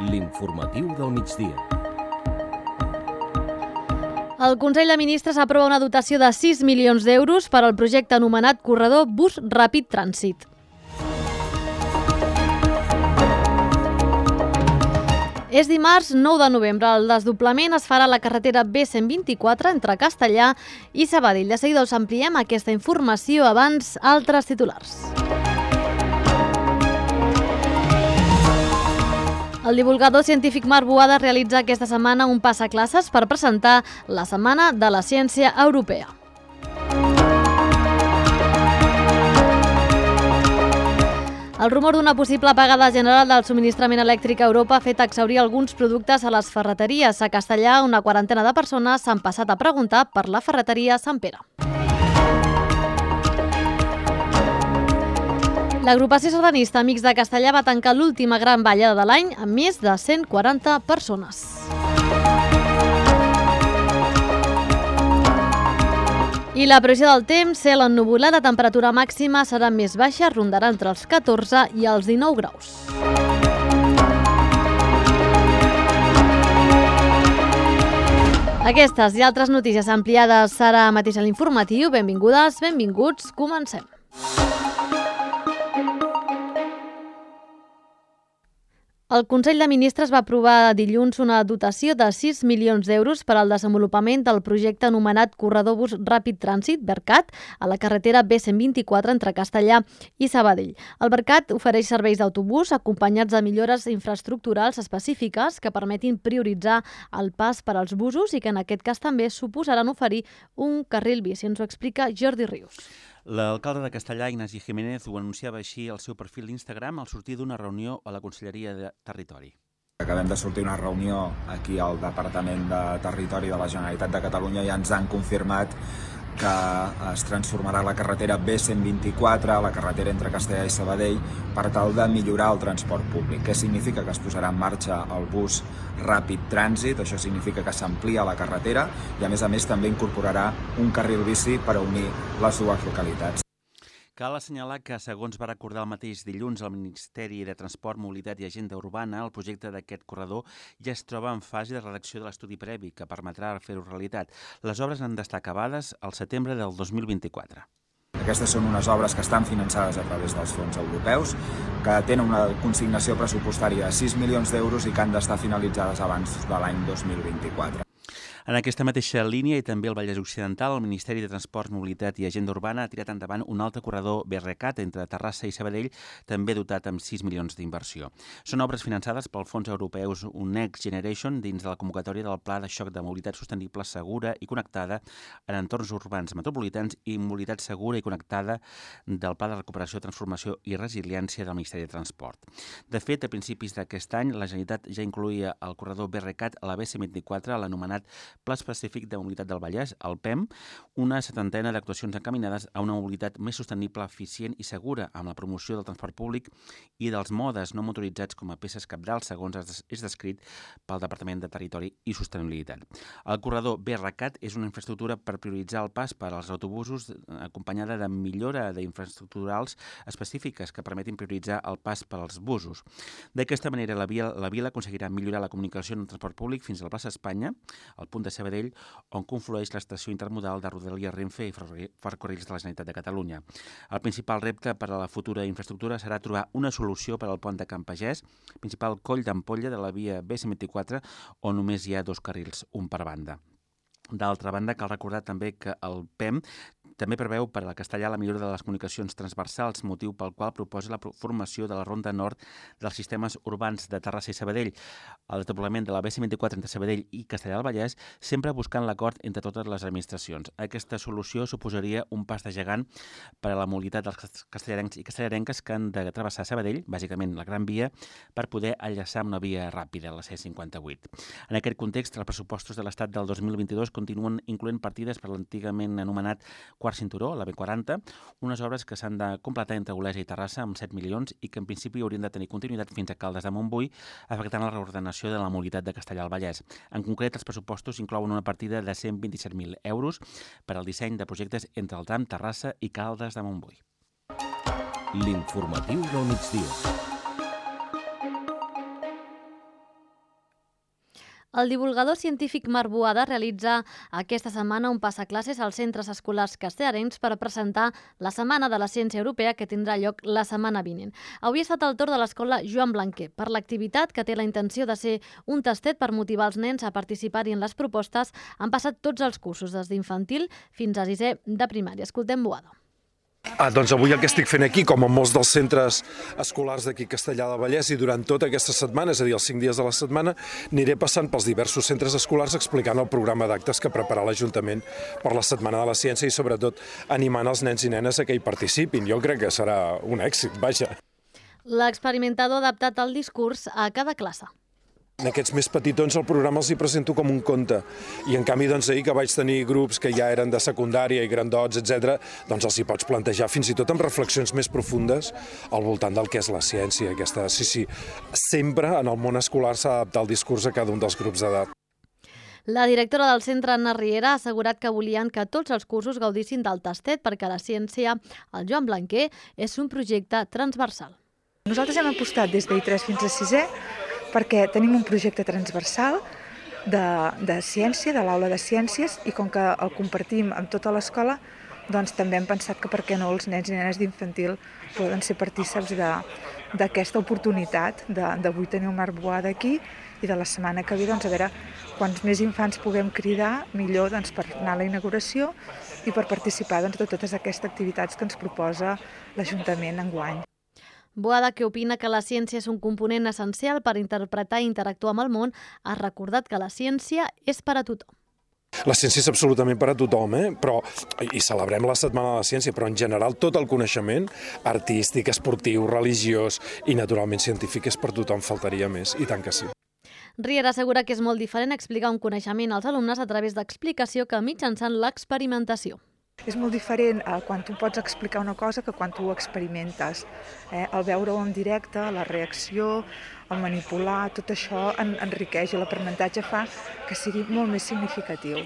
L'informatiu del migdia. El Consell de Ministres aprova una dotació de 6 milions d'euros per al projecte anomenat Corredor Bus Ràpid Trànsit. És dimarts 9 de novembre. El desdoblament es farà a la carretera B124 entre Castellar i Sabadell. De seguida us ampliem aquesta informació, abans altres titulars. El divulgador científic Marc Boada realitza aquesta setmana un passaclasses per presentar la Setmana de la Ciència Europea. El rumor d'una possible apagada general del subministrament elèctric a Europa ha fet exhaurir alguns productes a les ferreteries. A Castellar, una quarantena de persones s'han passat a preguntar per la ferreteria Sant Pere. L'agrupació sardanista Amics de Castellar va tancar l'última gran ballada de l'any amb més de 140 persones. I la previsió del temps, cel ennuvolat, la temperatura màxima serà més baixa, rondarà entre els 14 i els 19 graus. Aquestes i altres notícies ampliades serà mateix a l'informatiu. Benvingudes, benvinguts, comencem. El Consell de Ministres va aprovar dilluns una dotació de 6 milions d'euros per al desenvolupament del projecte anomenat Corredor Bus Ràpid Trànsit, BERCAT, a la carretera B124 entre Castellar i Sabadell. El BERCAT ofereix serveis d'autobús acompanyats de millores infraestructurals específiques que permetin prioritzar el pas per als busos i que en aquest cas també suposaran oferir un carril bici. Ens ho explica Jordi Rius. L'alcalde de Castellar, Ignasi Jiménez, ho anunciava així al seu perfil d'Instagram al sortir d'una reunió a la Conselleria de Territori. Acabem de sortir una reunió aquí al Departament de Territori de la Generalitat de Catalunya i ens han confirmat que es transformarà la carretera B124, la carretera entre Castellar i Sabadell, per tal de millorar el transport públic. Què significa? Que es posarà en marxa el bus ràpid trànsit, això significa que s'amplia la carretera i a més també incorporarà un carril bici per a unir les dues localitats. Cal assenyalar que, segons va recordar el mateix dilluns el Ministeri de Transport, Mobilitat i Agenda Urbana, el projecte d'aquest corredor ja es troba en fase de redacció de l'estudi previ que permetrà fer-ho realitat. Les obres han d'estar acabades al setembre del 2024. Aquestes són unes obres que estan finançades a través dels fons europeus, que tenen una consignació pressupostària de 6 milions d'euros i que han d'estar finalitzades abans de l'any 2024. En aquesta mateixa línia i també al Vallès Occidental, el Ministeri de Transport, Mobilitat i Agenda Urbana ha tirat endavant un altre corredor BRCAT entre Terrassa i Sabadell, també dotat amb 6 milions d'inversió. Són obres finançades pel fons europeus Next Generation dins de la convocatòria del Pla de Xoc de Mobilitat Sostenible Segura i Connectada en entorns urbans metropolitans i Mobilitat Segura i Connectada del Pla de Recuperació, Transformació i Resiliència del Ministeri de Transport. De fet, a principis d'aquest any, la Generalitat ja incloïa el corredor BRCAT a la B124, l'anomenat Pla Específic de Mobilitat del Vallès, el PEM, una setantena d'actuacions encaminades a una mobilitat més sostenible, eficient i segura amb la promoció del transport públic i dels modes no motoritzats com a peces cabdals, segons és descrit pel Departament de Territori i Sostenibilitat. El corredor BRCAT és una infraestructura per prioritzar el pas per als autobusos acompanyada de millora d'infraestructurals específiques que permetin prioritzar el pas per als busos. D'aquesta manera, la vila aconseguirà millorar la comunicació en el transport públic fins a la plaça Espanya, al punt de Sabadell, on conflueix l'estació intermodal de Rodalies Renfe i Ferrocarrils de la Generalitat de Catalunya. El principal repte per a la futura infraestructura serà trobar una solució per al pont de Can Pagès, principal coll d'ampolla de la via B124, on només hi ha 2 carrils, un per banda. D'altra banda, cal recordar també que el PEM també preveu per a Castellar la millora de les comunicacions transversals, motiu pel qual proposa la formació de la Ronda Nord dels sistemes urbans de Terrassa i Sabadell. El desdoblament de la B124 entre Sabadell i Castellar del Vallès, sempre buscant l'acord entre totes les administracions. Aquesta solució suposaria un pas de gegant per a la mobilitat dels castellarencs i castellarenques que han de travessar Sabadell, bàsicament la Gran Via, per poder enllaçar amb una via ràpida, la C58. En aquest context, els pressupostos de l'Estat del 2022 continuen incloent partides per l'antigament anomenat quart cinturó, la B40, unes obres que s'han de completar entre Olesa i Terrassa amb 7 milions i que en principi haurien de tenir continuïtat fins a Caldes de Montbui, afectant la reordenació de la mobilitat de Castellar al Vallès. En concret, els pressupostos inclouen una partida de 127.000 euros per al disseny de projectes entre el tram Terrassa i Caldes de Montbui. L'informatiu del migdia. El divulgador científic Marc Boada realitza aquesta setmana un passaclasses als centres escolars castellarens per presentar la Setmana de la Ciència Europea que tindrà lloc la setmana vinent. Avui ha estat el torn de l'escola Joan Blanquer per l'activitat que té la intenció de ser un tastet per motivar els nens a participar-hi en les propostes. Han passat tots els cursos, des d'infantil fins a 6è de primària. Escoltem Boada. Doncs avui el que estic fent aquí, com en molts dels centres escolars d'aquí Castellar del Vallès, i durant tota aquesta setmana, és a dir, els 5 dies de la setmana, aniré passant pels diversos centres escolars explicant el programa d'actes que prepara l'Ajuntament per la Setmana de la Ciència i sobretot animant els nens i nenes a que hi participin. Jo crec que serà un èxit, vaja. L'experimentador ha adaptat el discurs a cada classe. En aquests més petitons el programa els hi presento com un conte i en canvi ahir que vaig tenir grups que ja eren de secundària i grandots, etc., doncs els hi pots plantejar fins i tot amb reflexions més profundes al voltant del que és la ciència. Sí, sempre en el món escolar s'ha d'adaptar el discurs a cada un dels grups d'edat. La directora del centre, Anna Riera, ha assegurat que volien que tots els cursos gaudissin del tastet perquè la ciència, el Joan Blanquer, és un projecte transversal. Nosaltres hem apostat des d'I3 fins a 6è perquè tenim un projecte transversal de ciència, de l'aula de ciències, i com que el compartim amb tota l'escola, doncs també hem pensat que per què no els nens i nenes d'infantil poden ser partíceps d'aquesta oportunitat d'avui tenir el Marc Boada aquí i de la setmana que ve, doncs, a veure quants més infants puguem cridar, millor per anar a la inauguració i per participar de totes aquestes activitats que ens proposa l'Ajuntament enguany. Boada, que opina que la ciència és un component essencial per interpretar i interactuar amb el món, ha recordat que la ciència és per a tothom. La ciència és absolutament per a tothom, i celebrem la Setmana de la Ciència, però en general tot el coneixement artístic, esportiu, religiós i naturalment científic és per tothom, faltaria més, i tant que sí. Riera assegura que és molt diferent explicar un coneixement als alumnes a través d'explicació que mitjançant l'experimentació. És molt diferent quan tu pots explicar una cosa que quan tu ho experimentes. El veure-ho en directe, la reacció, el manipular, tot això enriqueix i l'aprenentatge fa que sigui molt més significatiu.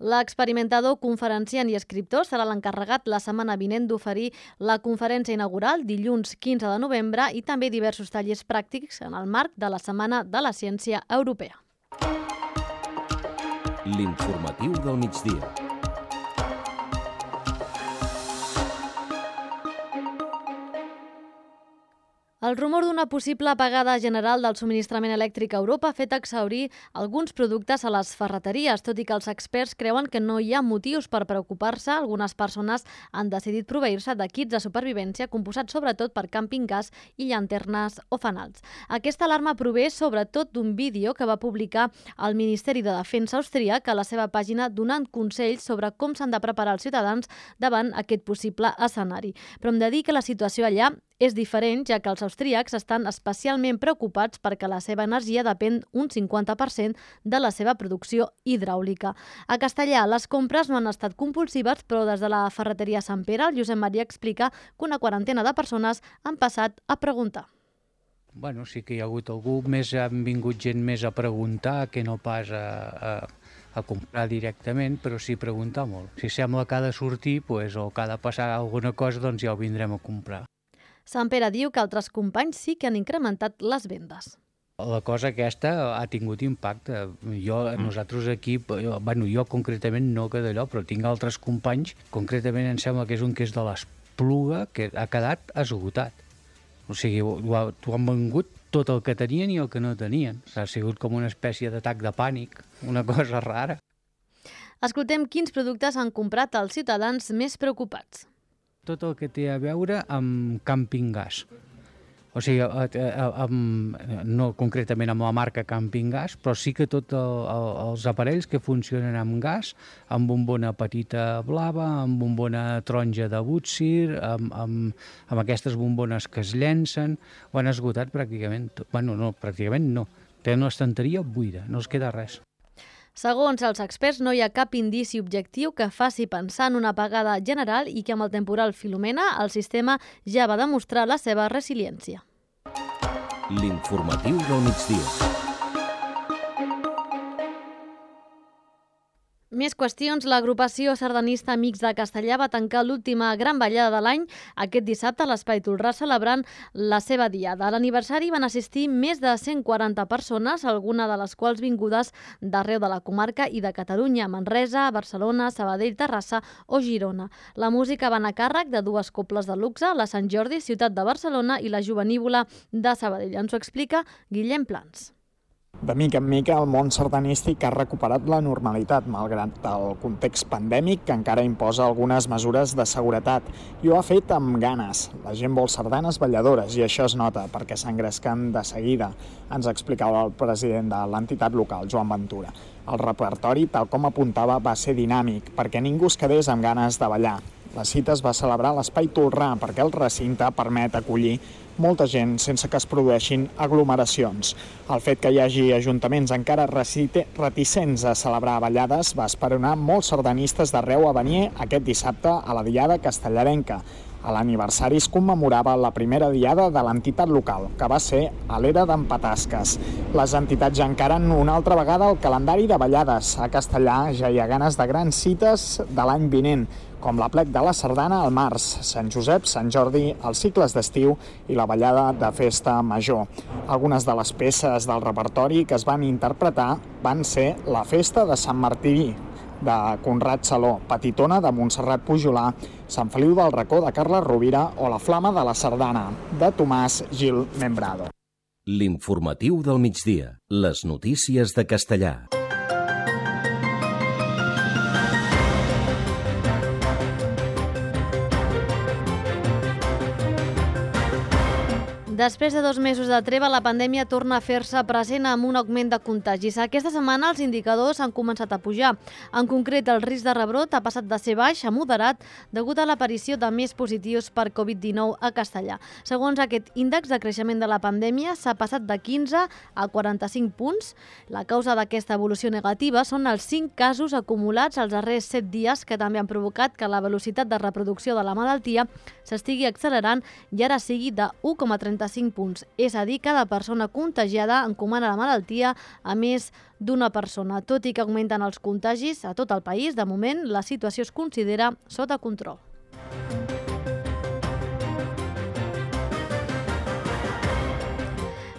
L'experimentador, conferenciant i escriptor serà l'encarregat la setmana vinent d'oferir la conferència inaugural dilluns 15 de novembre i també diversos tallers pràctics en el marc de la Setmana de la Ciència Europea. L'informatiu del migdia. El rumor d'una possible apagada general del subministrament elèctric a Europa ha fet exhaurir alguns productes a les ferreteries, tot i que els experts creuen que no hi ha motius per preocupar-se. Algunes persones han decidit proveir-se de kits de supervivència composats sobretot per càmping gas i llanternes o fanals. Aquesta alarma prové sobretot d'un vídeo que va publicar el Ministeri de Defensa austríac a la seva pàgina donant consells sobre com s'han de preparar els ciutadans davant aquest possible escenari. Però hem de dir que la situació allà és diferent, ja que els austríacs estan especialment preocupats perquè la seva energia depèn un 50% de la seva producció hidràulica. A Castellar, les compres no han estat compulsives, però des de la ferreteria Sant Pere, el Josep Maria explica que una quarantena de persones han passat a preguntar. Bueno, sí que hi ha hagut algú, han vingut gent més a preguntar que no pas a comprar directament, però sí preguntar molt. Si sembla que ha de sortir o que ha de passar alguna cosa, doncs ja ho vindrem a comprar. Sant Pere diu que altres companys sí que han incrementat les vendes. La cosa aquesta ha tingut impacte. Nosaltres aquí, jo concretament no que d'allò, però tinc altres companys, concretament em sembla que és un que és de l'Espluga, que ha quedat esgotat. O sigui, t'ho han vengut tot el que tenien i el que no tenien. Ha sigut com una espècie d'atac de pànic, una cosa rara. Escoltem quins productes han comprat els ciutadans més preocupats. Tot el que té a veure amb càmping gas. O sigui, no concretament amb la marca Camping Gas, però sí que tots els aparells que funcionen amb gas, amb bombona petita blava, amb bombona taronja de Butsir, amb aquestes bombones que es llencen, ho han esgotat pràcticament. Pràcticament no. Tenen l'estanteria buida, no els queda res. Segons els experts, no hi ha cap indici objectiu que faci pensar en una apagada general i que amb el temporal Filomena el sistema ja va demostrar la seva resiliència. L'informatiu del migdia. Més qüestions. L'agrupació sardanista Amics de Castellar va tancar l'última gran ballada de l'any aquest dissabte a l'Espai Tolrà celebrant la seva diada. A l'aniversari van assistir més de 140 persones, algunes de les quals vingudes d'arreu de la comarca i de Catalunya, Manresa, Barcelona, Sabadell, Terrassa o Girona. La música va anar a càrrec de dues cobles de luxe, la Sant Jordi, ciutat de Barcelona, i la Jovenívola de Sabadell. Ens ho explica Guillem Plans. De mica en mica, el món sardanístic ha recuperat la normalitat, malgrat el context pandèmic que encara imposa algunes mesures de seguretat. I ho ha fet amb ganes. La gent vol sardanes balladores i això es nota, perquè s'engresquen de seguida. Ens explicava el president de l'entitat local, Joan Ventura. El repertori, tal com apuntava, va ser dinàmic, perquè ningú es quedés amb ganes de ballar. La cita es va celebrar a l'Espai Tolrà perquè el recinte permet acollir molta gent sense que es produeixin aglomeracions. El fet que hi hagi ajuntaments encara reticents a celebrar ballades va esperonar molts sardanistes d'arreu a venir aquest dissabte a la Diada Castellarenca. A l'aniversari es commemorava la primera diada de l'entitat local, que va ser a l'era d'en Patasques. Les entitats ja encaren una altra vegada el calendari de ballades. A Castellar ja hi ha ganes de grans cites de l'any vinent, com l'Aplec de la Sardana al març, Sant Josep, Sant Jordi, els cicles d'estiu i la ballada de festa major. Algunes de les peces del repertori que es van interpretar van ser la festa de Sant Martí, de Conrad Saló, Petitona de Montserrat Pujolà, Sant Feliu del Racó de Carles Rovira o la Flama de la Sardana de Tomàs Gil Membrado. L'informatiu del migdia. Les notícies de Castellar. Després de 2 mesos de treva, la pandèmia torna a fer-se present amb un augment de contagis. Aquesta setmana els indicadors han començat a pujar. En concret, el risc de rebrot ha passat de ser baix a moderat degut a l'aparició de més positius per Covid-19 a Castellar. Segons aquest índex de creixement de la pandèmia, s'ha passat de 15 a 45 punts. La causa d'aquesta evolució negativa són els 5 casos acumulats els darrers 7 dies que també han provocat que la velocitat de reproducció de la malaltia s'estigui accelerant i ara sigui de 1,35 punts. És a dir, cada persona contagiada encomana la malaltia a més d'una persona. Tot i que augmenten els contagis a tot el país, de moment la situació es considera sota control.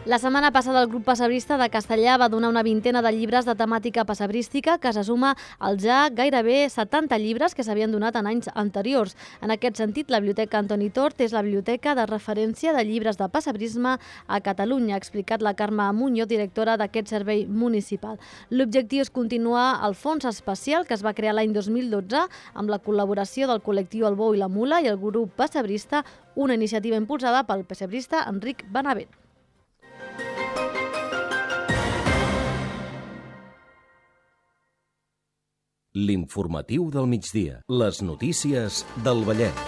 La setmana passada el grup pessebrista de Castellar va donar una vintena de llibres de temàtica passebrística que se suma als ja gairebé 70 llibres que s'havien donat en anys anteriors. En aquest sentit, la Biblioteca Antoni Tort és la biblioteca de referència de llibres de passebrisme a Catalunya, ha explicat la Carme Muñoz, directora d'aquest servei municipal. L'objectiu és continuar el fons especial que es va crear l'any 2012 amb la col·laboració del col·lectiu El Bou i la Mula i el grup pessebrista, una iniciativa impulsada pel pessebrista Enric Benavent. L'informatiu del migdia. Les notícies del Vallès.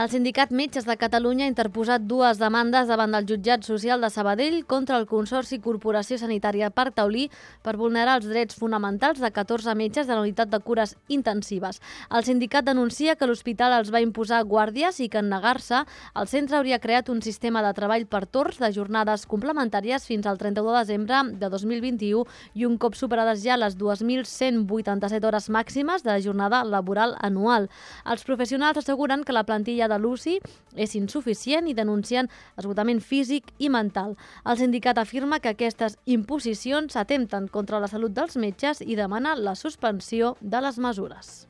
El Sindicat Metges de Catalunya ha interposat 2 demandes davant del Jutjat Social de Sabadell contra el Consorci Corporació Sanitària Parc Taulí per vulnerar els drets fonamentals de 14 metges de la unitat de cures intensives. El sindicat denuncia que l'hospital els va imposar guàrdies i que en negar-se, el centre hauria creat un sistema de treball per torns de jornades complementàries fins al 31 de desembre de 2021 i un cop superades ja les 2.187 hores màximes de jornada laboral anual. Els professionals asseguren que la plantilla de l'UCI és insuficient i denuncien esgotament físic i mental. El sindicat afirma que aquestes imposicions atempten contra la salut dels metges i demana la suspensió de les mesures.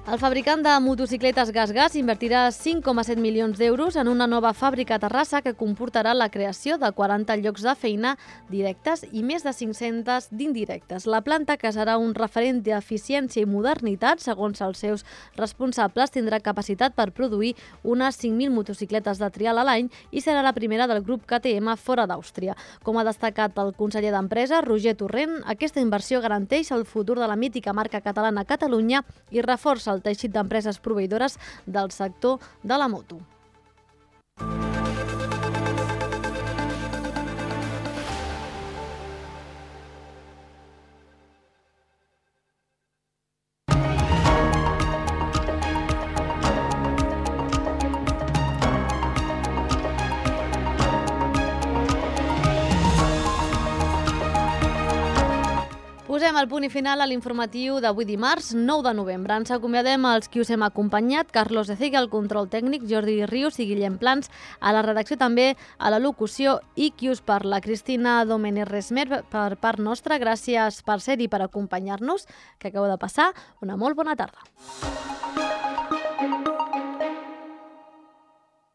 El fabricant de motocicletes GasGas invertirà 5,7 milions d'euros en una nova fàbrica a Terrassa que comportarà la creació de 40 llocs de feina directes i més de 500 d'indirectes. La planta, que serà un referent d'eficiència i modernitat, segons els seus responsables, tindrà capacitat per produir unes 5.000 motocicletes de trial a l'any i serà la primera del grup KTM fora d'Àustria. Com ha destacat el conseller d'Empresa, Roger Torrent, aquesta inversió garanteix el futur de la mítica marca catalana a Catalunya i reforça el teixit d'empreses proveïdores del sector de la moto. Posem el punt i final a l'informatiu d'avui dimarts, 9 de novembre. Ens acomiadem els qui us hem acompanyat, Carlos Eciga, el control tècnic, Jordi Rius i Guillem Plans, a la redacció també, a la locució i qui us parla, Cristina Domènech Resmer, per part nostra. Gràcies per ser-hi, per acompanyar-nos, que acabo de passar una molt bona tarda.